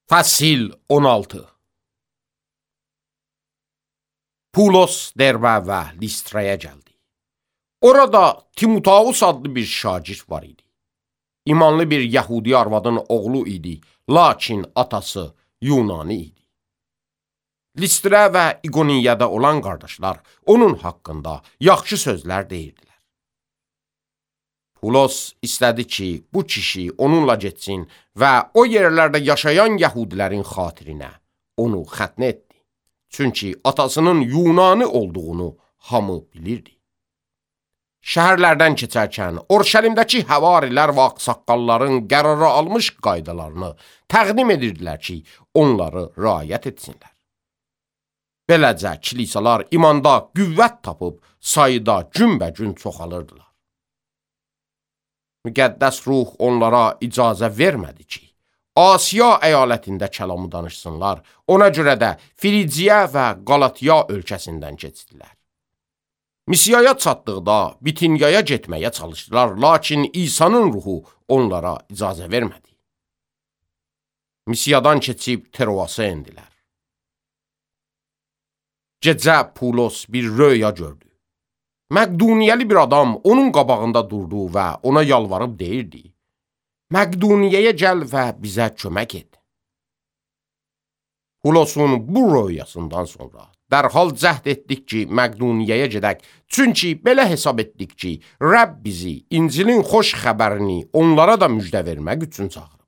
Fəsil 16. Pulos Derbə və Listraya gəldi. Orada Timoteus adlı bir şagird var idi. İmanlı bir Yəhudi arvadın oğlu idi, lakin atası Yunani idi. Listra və İqoniyada olan qardaşlar onun haqqında yaxşı sözlər deyirdilər. Pulos istədi ki, bu kişi onunla getsin və o yerlərdə yaşayan Yəhudilərin xatirinə onu xətnə etdi. Çünki atasının Yunani olduğunu hamı bilirdi. Şəhərlərdən keçərkən Orşəlimdəki həvarilər və ağsaqqalların qərara almış qaydalarını təqdim edirdilər ki, onları riayət etsinlər. Beləcə kilisalar imanda qüvvət tapıb sayıda günbəgün çoxalırdılar. Müqəddəs ruh onlara icazə vermədi ki, Asiya əyalətində kəlamı danışsınlar, ona görə də Frigiya və Qalatiya ölkəsindən keçdilər. Misiyaya çatdıqda Bitinyaya getməyə çalışdılar, lakin İsa'nın ruhu onlara icazə vermədi. Misiyadan keçib Troasa endilər. Gecə Pulos bir röya gördü. Məqduniyəli bir adam onun qabağında durdu və ona yalvarıb deyirdi: Məqduniyəyə gəl və bizə kömək et. Pulosun bu röyasından sonra dərhal cəhd etdik ki, Məqduniyəyə gedək, çünki belə hesab etdik ki, Rəbb bizi İncilin xoş xəbərini onlara da müjdə vermək üçün çağırıb.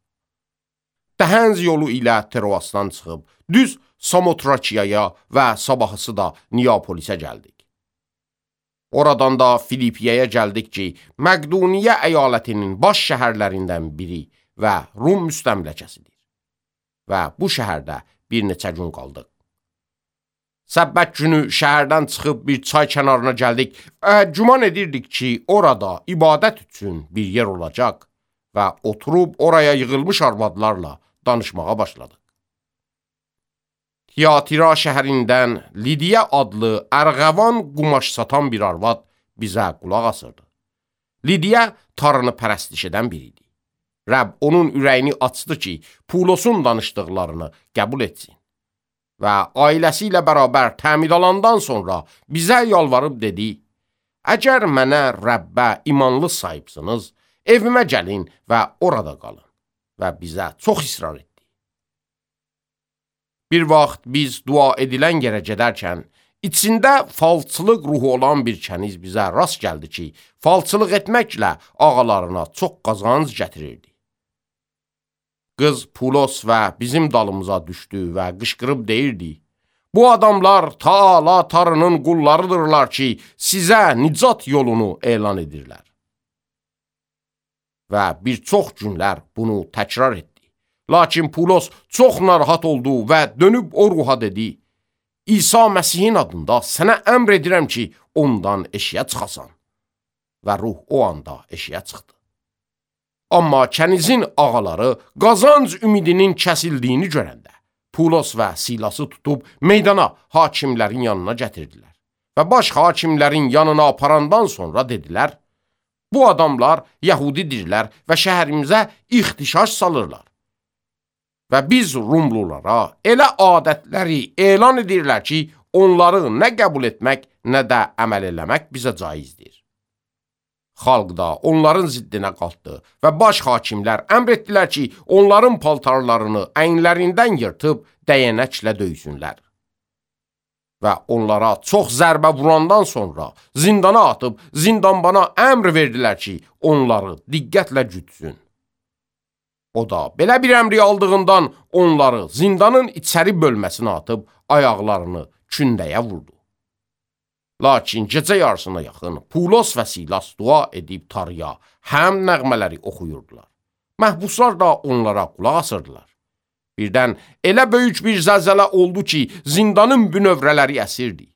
Dəhənz yolu ilə Troasdan çıxıb, düz Samotrakiyaya və sabahısı da Neapolisə gəldik. Oradan da Filipiyaya gəldik ki, Məqduniyə əyalətinin baş şəhərlərindən biri və Rum müstəmləkəsidir. Və bu şəhərdə bir neçə gün qaldıq. Səbbət günü şəhərdən çıxıb bir çay kənarına gəldik və güman edirdik ki, orada ibadət üçün bir yer olacaq və oturub oraya yığılmış arvadlarla danışmağa başladıq. Tiyatira şəhərindən Lidiya adlı ərğəvan qumaş satan bir arvad bizə qulaq asırdı. Lidiya tarını pərəstiş edən biridir. Rəbb onun ürəyini açdı ki, Pulosun danışdıqlarını qəbul etsin. Və ailəsi ilə bərabər təmid alandan sonra bizə yalvarıb dedi: Əgər mənə Rəbbə imanlı sahibsiniz, evimə gəlin və orada qalın. Və bizə çox israr etdi. Bir vaxt biz dua edilən yerə gedərkən, içində falçılıq ruhu olan bir kəniz bizə rast gəldi ki, falçılıq etməklə ağalarına çox qazanc gətirirdi. Qız Pulos və bizim dalımıza düşdü və qışqırıb deyirdi: Bu adamlar Taala Tarının qullarıdırlar ki, sizə nicat yolunu elan edirlər. Və bir çox günlər bunu təkrar etdi. Lakin Pulos çox narahat oldu və dönüb o ruha dedi: İsa Məsihin adında sənə əmr edirəm ki, ondan eşiyə çıxasan. Və ruh o anda eşiyə çıxdı. Amma kənizin ağaları qazanc ümidinin kəsildiyini görəndə, Pulos və Silası tutub meydana hakimlərin yanına gətirdilər. Və baş hakimlərin yanına aparandan sonra dedilər: Bu adamlar Yəhudidirlər və şəhərimizə ixtişaş salırlar. Və biz Rumlulara elə adətləri elan edirlər ki, onları nə qəbul etmək, nə də əməl eləmək bizə caizdir. Xalq da onların ziddinə qalxdı və baş hakimlər əmr etdilər ki, onların paltarlarını əyinlərindən yırtıb dəyənəklə döysünlər. Və onlara çox zərbə vurandan sonra zindana atıb zindanbana əmr verdilər ki, onları diqqətlə gütsün. O da belə bir əmri aldığından onları zindanın içəri bölməsinə atıb ayaqlarını kündəyə vurdu. Lakin gecə yarısına yaxın Pulos və Silas dua edib tarıya həm nəğmələri oxuyurdular. Məhbuslar da onlara qulaq asırdılar. Birdən elə böyük bir zəlzələ oldu ki, zindanın bünövrələri əsirdi.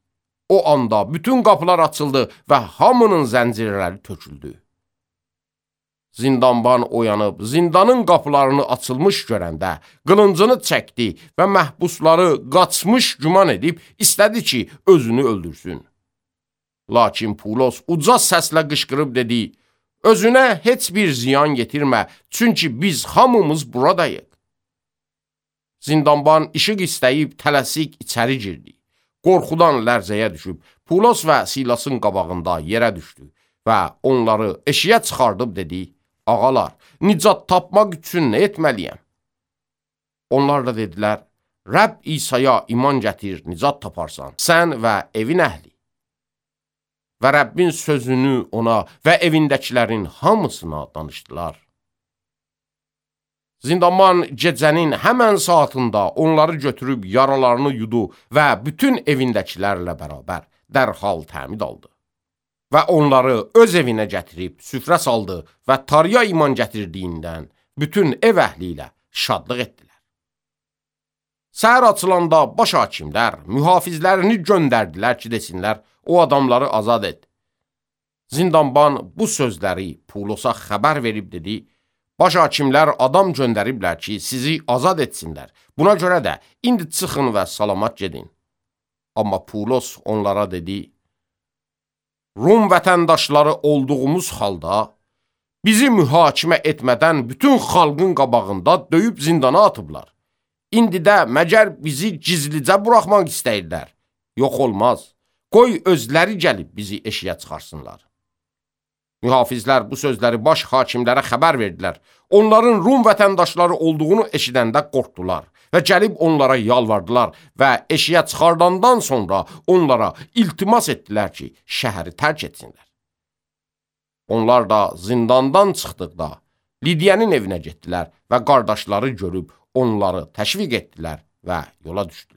O anda bütün qapılar açıldı və hamının zəncirləri töküldü. Zindanban oyanıb, zindanın qapılarını açılmış görəndə qılıncını çəkdi və məhbusları qaçmış güman edib istədi ki, özünü öldürsün. Lakin Pulos uca səslə qışqırıb dedi: Özünə heç bir ziyan getirmə, çünki biz hamımız buradayıq. Zindanban işıq istəyib tələsik içəri girdi. Qorxudan lərzəyə düşüb, Pulos və Silasın qabağında yerə düşdü və onları eşiyə çıxardıb dedi, ağalar, nicat tapmaq üçün nə etməliyəm? Onlar da dedilər, Rəbb İsa'ya iman gətir, nicat taparsan, sən və evin əhli. Və Rəbbin sözünü ona və evindəkilərin hamısına danışdılar. Zindanban gecənin həmən saatında onları götürüb yaralarını yudu və bütün evindəkilərlə bərabər dərhal təmid aldı. Və onları öz evinə gətirib süfrə saldı və Tarıya iman gətirdiyindən bütün ev əhli ilə şadlıq etdilər. Səhər açılanda baş hakimlər mühafizlərini göndərdilər ki, desinlər, o adamları azad et. Zindanban bu sözləri Pulosa xəbər verib dedi, baş hakimlər adam göndəriblər ki, sizi azad etsinlər. Buna görə də indi çıxın və salamat gedin. Amma Pulos onlara dedi, Rum vətəndaşları olduğumuz halda bizi mühakimə etmədən bütün xalqın qabağında döyüb zindana atıblar. İndi də məgər bizi gizlicə buraxmaq istəyirlər. Yox olmaz, qoy özləri gəlib bizi eşiyə çıxarsınlar. Mühafizlər bu sözləri baş hakimlərə xəbər verdilər. Onların Rum vətəndaşları olduğunu eşidəndə qorxdular və gəlib onlara yalvardılar və eşiyə çıxardandan sonra onlara iltimas etdilər ki, şəhəri tərk etsinlər. Onlar da zindandan çıxdıqda Lidiyənin evinə getdilər və qardaşları görüb onları təşviq etdilər və yola düşdülər.